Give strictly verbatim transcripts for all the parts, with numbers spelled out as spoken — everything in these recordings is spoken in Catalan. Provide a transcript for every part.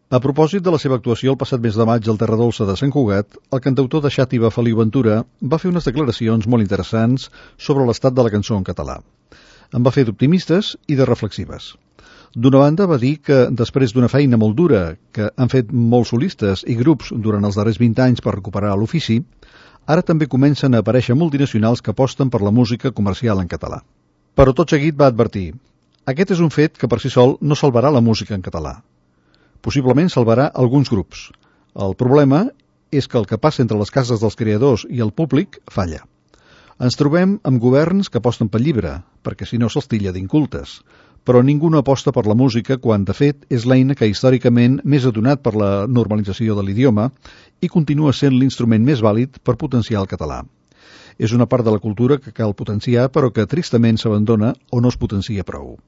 A propòsit de la seva actuació el passat mes de maig al Terra Dolça de Sant Cugat, el cantautor de Xàtiva Feliu Ventura va fer unes declaracions molt interessants sobre l'estat de la cançó en català. En va fer d'optimistes i de reflexives. D'una banda va dir que després d'una feina molt dura que han fet molts solistes i grups durant els darrers vint anys per recuperar l'ofici, ara també comencen a aparèixer multinacionals que aposten per la música comercial en català. Però tot seguit va advertir: aquest és un fet que per si sol no salvarà la música en català. Possiblement salvarà alguns grups. El problema és que el que passa entre les cases dels creadors i el públic falla. Ens trobem amb governs que aposten pel llibre, perquè si no se'ls tilla d'incultes, però ningú no aposta per la música quan, de fet, és l'eina que històricament més ha donat per la normalització de l'idioma i continua sent l'instrument més vàlid per potenciar el català. És una part de la cultura que cal potenciar, però que tristament s'abandona o no es potencia prou.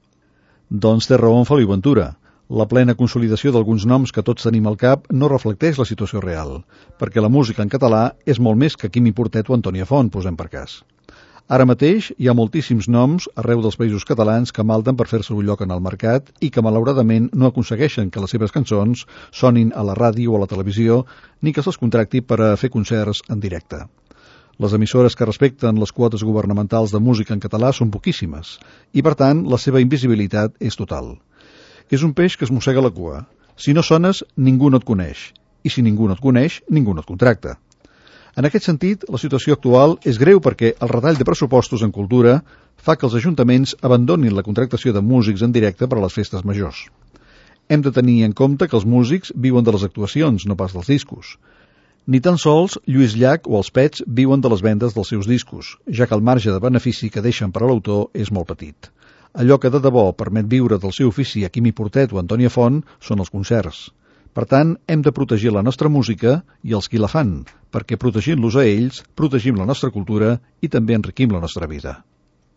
Doncs té raó en Feliu Ventura. La plena consolidació d'alguns noms que tots tenim al cap no reflecteix la situació real, perquè la música en català és molt més que Quimi Portet o Antònia Font, posem per cas. Ara mateix hi ha moltíssims noms arreu dels països catalans que malden per fer-se un lloc en el mercat i que malauradament no aconsegueixen que les seves cançons sonin a la ràdio o a la televisió ni que se'ls contracti per a fer concerts en directe. Les emissores que respecten les quotes governamentals de música en català són poquíssimes i, per tant, la seva invisibilitat és total. És un peix que es mossega la cua. Si no sones, ningú no et coneix. I si ningú no et coneix, ningú no et contracta. En aquest sentit, la situació actual és greu perquè el retall de pressupostos en cultura fa que els ajuntaments abandonin la contractació de músics en directe per a les festes majors. Hem de tenir en compte que els músics viuen de les actuacions, no pas dels discos. Ni tan sols Lluís Llach o els Pets viuen de les vendes dels seus discos, ja que el marge de benefici que deixen per a l'autor és molt petit. Allò que de debò permet viure del seu ofici a Quimi Portet o Antònia Font són els concerts. Per tant, hem de protegir la nostra música i els qui la fan, perquè protegint-los a ells, protegim la nostra cultura i també enriquim la nostra vida.